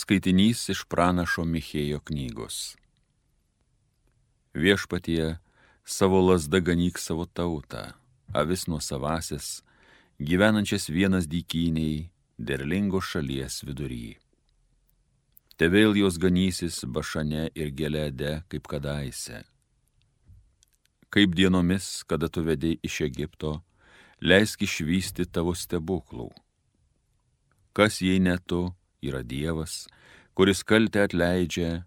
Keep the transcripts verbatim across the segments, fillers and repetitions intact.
Skaitinys iš pranašo Michėjo knygos. Viešpatie, savo lazda ganyk savo tautą, avis nuo savasis, gyvenančias vienas dykyniai, derlingos šalies vidury. Te vėl jos ganysis Bašane ir Gelede kaip kadaise. Kaip dienomis, kada tu vedei iš Egipto, leisk išvysti tavo stebuklų. Kas jei ne tu, yra Dievas, kuris kaltę atleidžia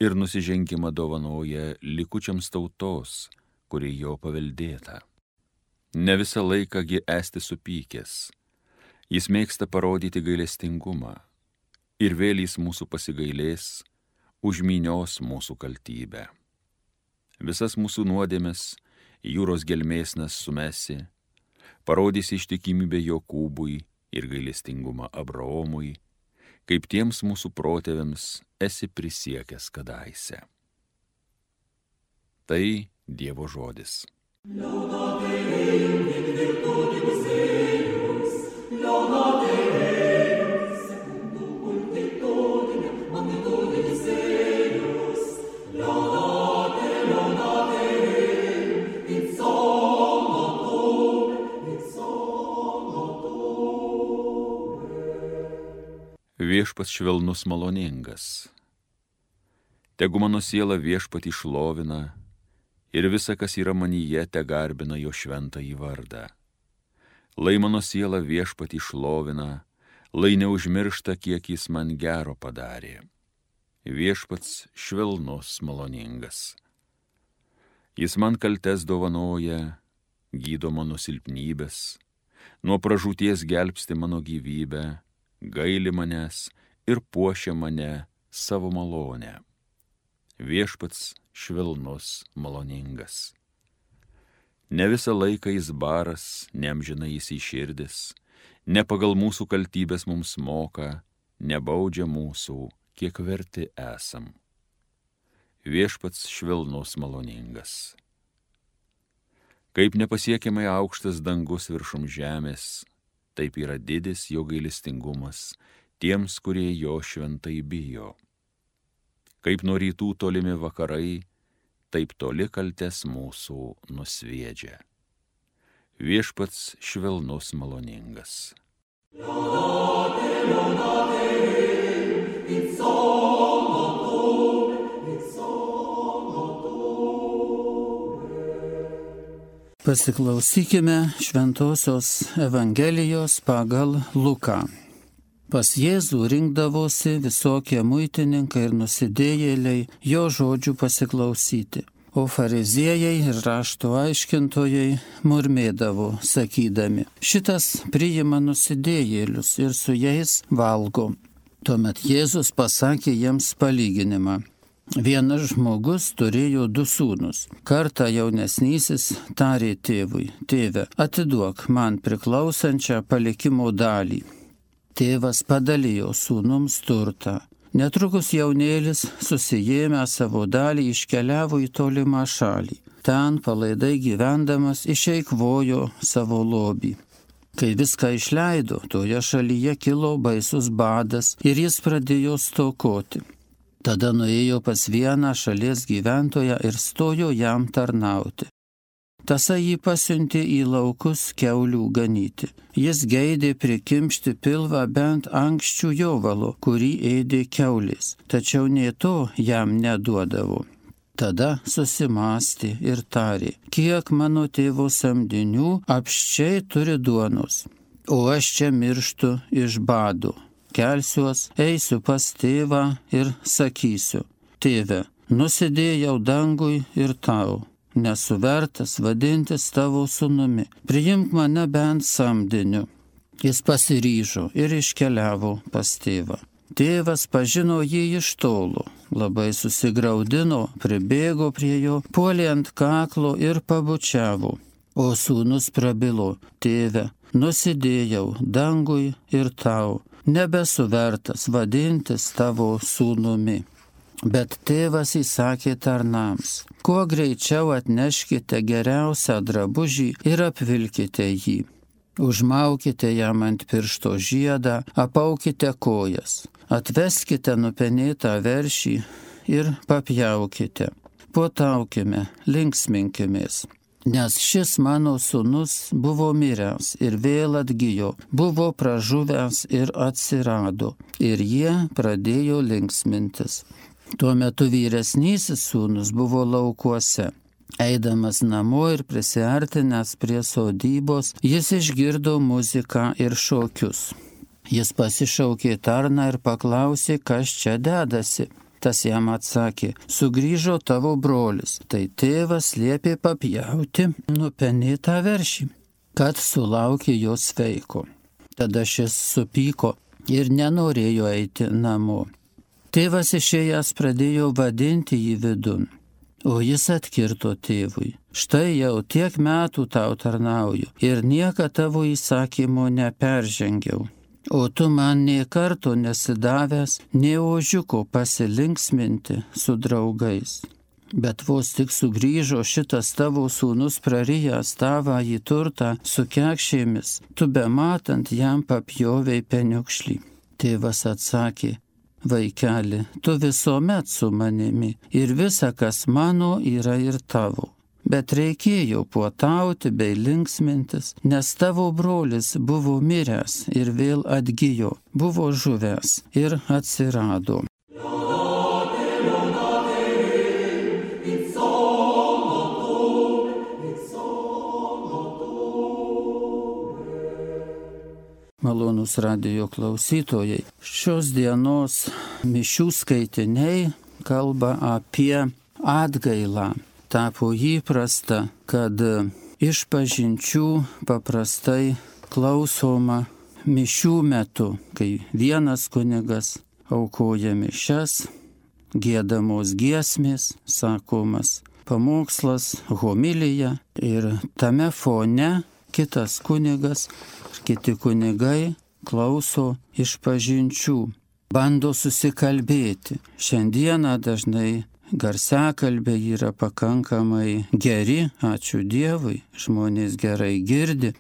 ir nusižengimą dovanoja likučiams tautos, kuri jo paveldėta. Ne visą laiką gi esti supykęs, jis mėgsta parodyti gailestingumą ir vėl jis mūsų pasigailės, užmynios mūsų kaltybę. Visas mūsų nuodėmes jūros gelmėsnas sumesi, parodys ištikimybę Jokūbui ir gailestingumą Abraomui, kaip tiems mūsų protėviams esi prisiekęs kadaise. Tai Dievo žodis. Viešpats švelnus maloningas. Tegu mano siela Viešpatį šlovina ir visa, kas yra manyje, te garbina jo šventąjį vardą. Lai mano siela Viešpatį šlovina, lai neužmiršta, kiek jis man gero padarė. Viešpats švelnus maloningas. Jis man kaltes dovanoja, gydo mano silpnybės, nuo pražūties gelbsti mano gyvybę, gaili manęs ir puošia mane savo malonę. Viešpats švelnus maloningas. Ne visą laiką jis baras, neamžinai jis įširdis, ne pagal mūsų kaltybės mums moka, nebaudžia mūsų, kiek verti esam. Viešpats švelnus maloningas. Kaip nepasiekiamai aukštas dangus viršum žemės, taip yra didis jo gailestingumas tiems, kurie jo šventai bijo. Kaip nuo rytų tolimi vakarai, taip toli kaltes mūsų nusviedžia. Viešpats švelnus maloningas. Laudate, laudate, in solo, in solo. Pasiklausykime Šventosios Evangelijos pagal Luką. Pas Jėzų rinkdavosi visokie muitininkai ir nusidėjėliai jo žodžių pasiklausyti, o fariziejai ir rašto aiškintojai murmėdavo, sakydami, šitas priima nusidėjėlius ir su jais valgo. Tuomet Jėzus pasakė jiems palyginimą. Vienas žmogus turėjo du sūnus. Kartą jaunesnysis tarė tėvui, tėve, atiduok man priklausančią palikimo dalį. Tėvas padalijo sūnums turtą. Netrukus jaunėlis, susijėmę savo dalį, iškeliavo į tolimą šalį. Ten palaidai gyvendamas išeikvojo savo lobį. Kai viską išleido, toje šalyje kilo baisus badas ir jis pradėjo stokoti. Tada nuėjo pas vieną šalies gyventoją ir stojo jam tarnauti. Tasai jį pasiuntė į laukus kiaulių ganyti. Jis geidė prikimšti pilvą bent ankščių jovalo, kurį ėdė kiaulės, tačiau nė to jam neduodavo. Tada susimąstė ir tarė, kiek mano tėvo samdinių apsčiai turi duonos, o aš čia mirštu iš bado. Kelsiuos, eisiu pas tėvą ir sakysiu, tėve, nusidėjau dangui ir tau, nesu vertas vadintis tavo sūnumi, priimk mane bent samdiniu. Jis pasiryžo ir iškeliavo pas tėvą. Tėvas pažino jį iš tolo, labai susigraudino, pribėgo prie jo, puolė ant kaklo ir pabučiavo. O sūnus prabilo, tėve, nusidėjau dangui ir tau, nebesu vertas vadintis tavo sūnumi. Bet tėvas įsakė tarnams, kuo greičiau atneškite geriausią drabužį ir apvilkite jį. Užmaukite jam ant piršto žiedą, apaukite kojas, atveskite nupenėtą veršį ir papjaukite. Puotaukime, linksminkimės. Nes šis mano sūnus buvo miręs ir vėl atgijo, buvo pražuvęs ir atsirado, ir jie pradėjo linksmintis. Tuo metu vyresnysis sūnus buvo laukuose. Eidamas namo ir prisiartinęs prie sodybos, jis išgirdo muziką ir šokius. Jis pasišaukė tarną ir paklausė, kas čia dedasi. Tas jam atsakė, sugrįžo tavo brolis, tai tėvas liepė papjauti nupenėtą veršį, kad sulaukė jo sveiko. Tada šis supyko ir nenorėjo eiti namo. Tėvas išėjęs pradėjo vadinti jį vidun, o jis atkirto tėvui, štai jau tiek metų tau tarnauju ir nieką tavo įsakymo neperžengiau. O tu man nė karto nesidavęs, nė ožiuko pasilinksminti su draugais. Bet vos tik sugrįžo šitas tavo sūnus prarijęs tavąjį turtą su kekšėmis, tu bematant jam papjovei peniukšlį. Tėvas atsakė, vaikeli, tu visuomet su manimi ir visa, kas mano, yra ir tavo. Bet reikėjo puotauti bei linksmintis, nes tavo brolis buvo miręs ir vėl atgijo, buvo žuvęs ir atsirado. Malonūs radijo klausytojai, šios dienos mišių skaitiniai kalba apie atgailą. Tapo įprasta, kad išpažinčių paprastai klausoma mišių metu, kai vienas kunigas aukoja mišias, giedamos giesmės, sakomas pamokslas, homilija ir tame fone kitas kunigas ir kiti kunigai klauso išpažinčių, bando susikalbėti. Šiandieną dažnai garsiakalbiai yra pakankamai geri, ačiū Dievui, žmonės gerai girdi,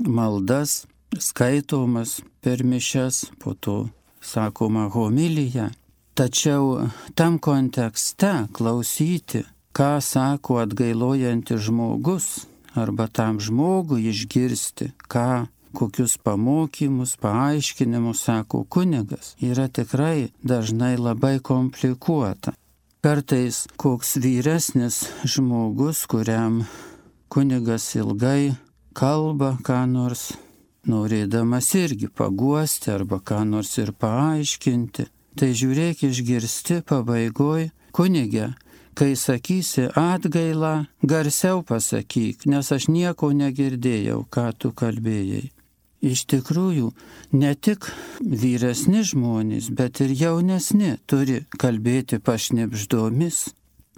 maldas skaitomas per mišias, po to sakoma homilija. Tačiau tam kontekste klausyti, ką sako atgailojantis žmogus, arba tam žmogui išgirsti, ką, kokius pamokymus, paaiškinimus sako kunigas, yra tikrai dažnai labai komplikuota. Kartais koks vyresnis žmogus, kuriam kunigas ilgai kalba ką nors, norėdamas irgi paguosti arba ką nors ir paaiškinti, tai žiūrėk išgirsti pabaigoj, kunige, kai sakysi atgailą, garsiau pasakyk, nes aš nieko negirdėjau, ką tu kalbėjai. Iš tikrųjų, ne tik vyresni žmonės, bet ir jaunesni turi kalbėti pašnibždomis,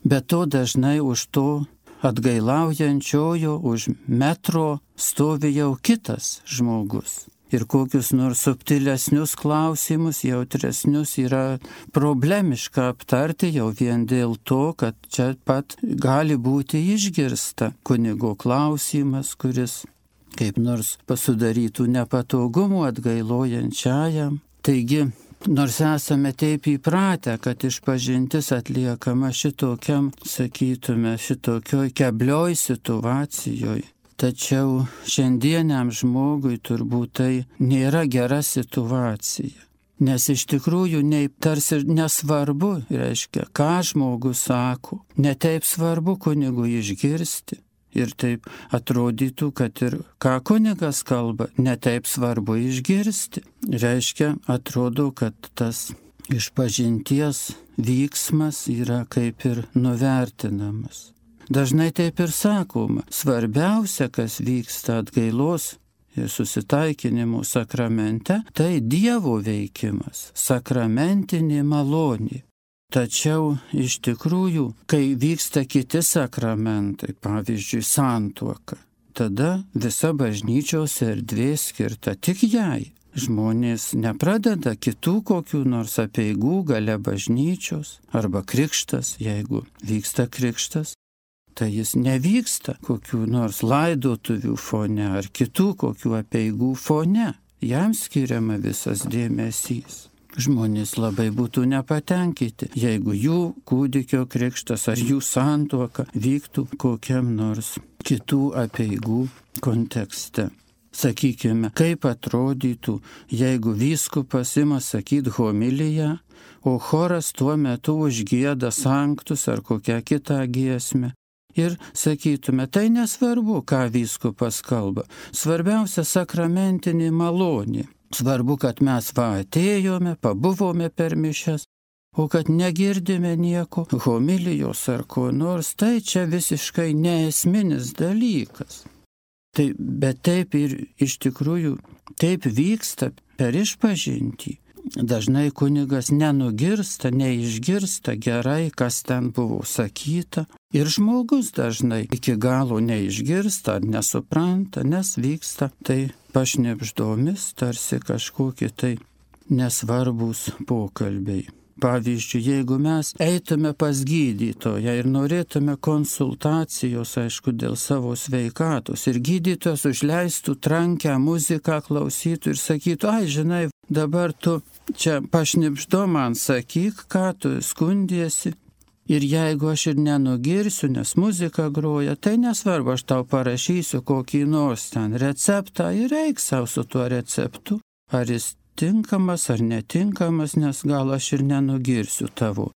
bet to dažnai už to atgailaujančiojo, už metro stovi jau kitas žmogus. Ir kokius nors subtilesnius klausimus, jautresnius yra problemiška aptarti jau vien dėl to, kad čia pat gali būti išgirsta kunigo klausimas, kuris kaip nors pasudarytų nepatogumų atgailojančiajam. Taigi, nors esame taip įpratę, kad išpažintis atliekama šitokiam, sakytume, šitokioj keblioj situacijoj, tačiau šiandieniam žmogui turbūt tai nėra gera situacija. Nes iš tikrųjų nei, tarsi nesvarbu, reiškia, ką žmogus sako, netaip svarbu kunigui išgirsti. Ir taip atrodytų, kad ir ką kunigas kalba, netaip svarbu išgirsti. Reiškia, atrodo, kad tas išpažinties vyksmas yra kaip ir nuvertinamas. Dažnai taip ir sakoma, svarbiausia, kas vyksta atgailos ir susitaikinimo sakramente, tai Dievo veikimas, sakramentinė malonė. Tačiau iš tikrųjų, kai vyksta kiti sakramentai, pavyzdžiui, santuoka, tada visa bažnyčios erdvė skirta tik jai. Žmonės nepradeda kitų kokių nors apeigų gale bažnyčios arba krikštas, jeigu vyksta krikštas. tai jis nevyksta kokių nors laidotuvių fone ar kitų kokių apeigų fone. Jam skiriama visas dėmesys. Žmonės labai būtų nepatenkinti, jeigu jų kūdikio krikštas ar jų santuoka vyktų kokiam nors kitų apeigų kontekste. Sakykime, kaip atrodytų, jeigu vyskupas ima sakyti homiliją, o choras tuo metu užgieda sanktus ar kokią kitą giesmę. Ir sakytume, tai nesvarbu, ką vyskupas kalba. Svarbiausia sakramentinė malonė. Svarbu, kad mes va atėjome, pabuvome per mišias, o kad negirdime nieko, homilijos ar ko nors, tai čia visiškai neesminis dalykas. Tai, bet taip ir iš tikrųjų, taip vyksta per išpažintį. Dažnai kunigas nenugirsta, neišgirsta gerai, kas ten buvo sakyta. Ir žmogus dažnai iki galo neišgirsta ar nesupranta, nes vyksta tai pašnibždomis, tarsi kažkokie tai nesvarbūs pokalbiai. Pavyzdžiui, jeigu mes eitume pas gydytoją ir norėtume konsultacijos, aišku, dėl savo sveikatos, ir gydytojas užleistų trankę muziką, klausytų ir sakytų, ai, žinai, dabar tu čia pašnibždo man sakyk, ką tu skundiesi. Ir jeigu aš ir nenugirsiu, nes muzika groja, tai nesvarbu, aš tau parašysiu kokį nors ten receptą ir eik savo su tuo receptu. Ar jis tinkamas ar netinkamas, nes gal aš ir nenugirsiu tavo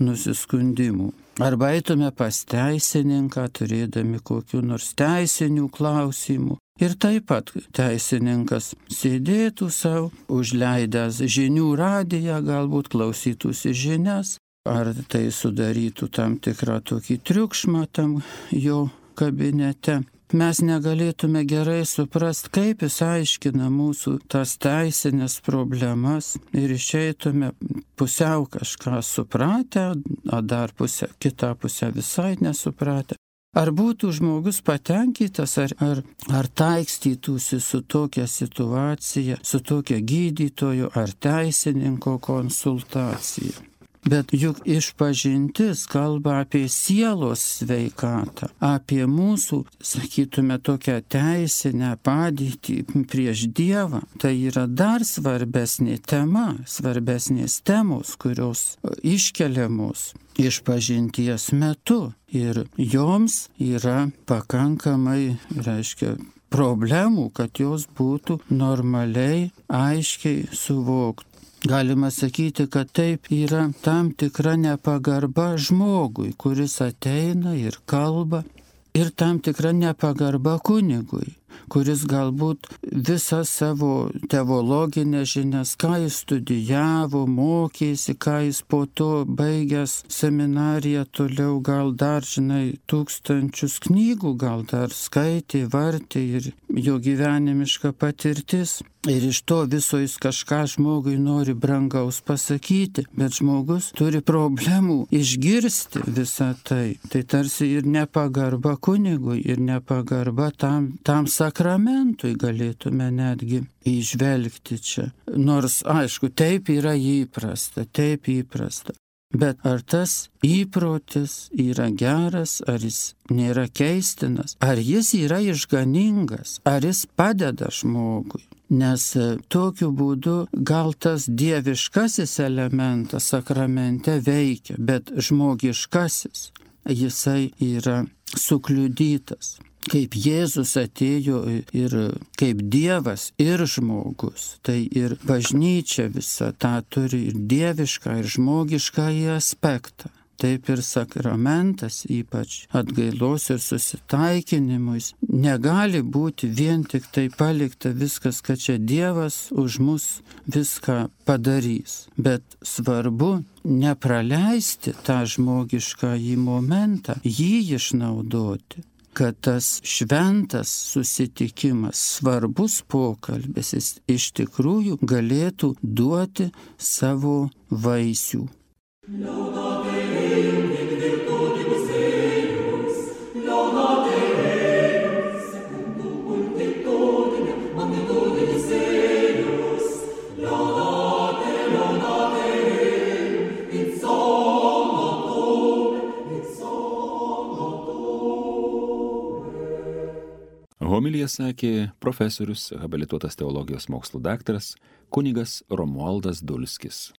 nusiskundimų. Arba eitume pas teisininką, turėdami kokių nors teisinių klausimų. Ir taip pat teisininkas sėdėtų savo, užleidęs žinių radiją, galbūt klausytųsi žinias, ar tai sudarytų tam tikrą tokį triukšmą tam jo kabinete. Mes negalėtume gerai suprasti, kaip jis aiškina mūsų tas teisinės problemas ir išeitume pusiau kažką supratę, o dar pusę, kitą pusę visai nesupratę. Ar būtų žmogus patenkintas, ar, ar, ar taikstytųsi su tokia situacija, su tokia gydytojo ar teisininko konsultacija. Bet juk išpažintis kalba apie sielos sveikatą, apie mūsų, sakytume, tokią teisinę padėtį prieš Dievą. Tai yra dar svarbesnė tema, svarbesnės temos, kurios iškeliamos išpažinties metu. Ir joms yra pakankamai, reiškia, problemų, kad jos būtų normaliai, aiškiai suvoktos. Galima sakyti, kad taip yra tam tikra nepagarba žmogui, kuris ateina ir kalba, ir tam tikra nepagarba kunigui, kuris galbūt visą savo teologinę žinias, ką jis studijavo, mokėsi, ką jis po to baigęs seminariją toliau, gal dar, žinai, tūkstančius knygų, gal dar skaitė, vartė ir jo gyvenimiška patirtis. Ir iš to viso jis kažką žmogui nori brangaus pasakyti, bet žmogus turi problemų išgirsti visą tai. Tai tarsi ir nepagarba kunigui, ir nepagarba tam, tam sakramentui galėtume netgi įžvelgti čia. Nors, aišku, taip yra įprasta, taip įprasta. Bet ar tas įprotis yra geras, ar jis nėra keistinas, ar jis yra išganingas, ar jis padeda žmogui? Nes tokiu būdu gal tas dieviškasis elementas sakramente veikia, bet žmogiškasis, jisai yra sukliudytas. Kaip Jėzus atėjo ir kaip Dievas ir žmogus, tai ir bažnyčia visa tą turi ir dievišką, ir žmogišką aspektą. Taip ir sakramentas, ypač atgailos ir susitaikinimus, negali būti vien tik tai palikta viskas, kad čia Dievas už mus viską padarys. Bet svarbu nepraleisti tą žmogišką į momentą, jį išnaudoti, kad tas šventas susitikimas, svarbus pokalbis, jis iš tikrųjų galėtų duoti savo vaisių. Homiliją sakė profesorius, habilituotas teologijos mokslų daktaras, kunigas Romualdas Dulskis.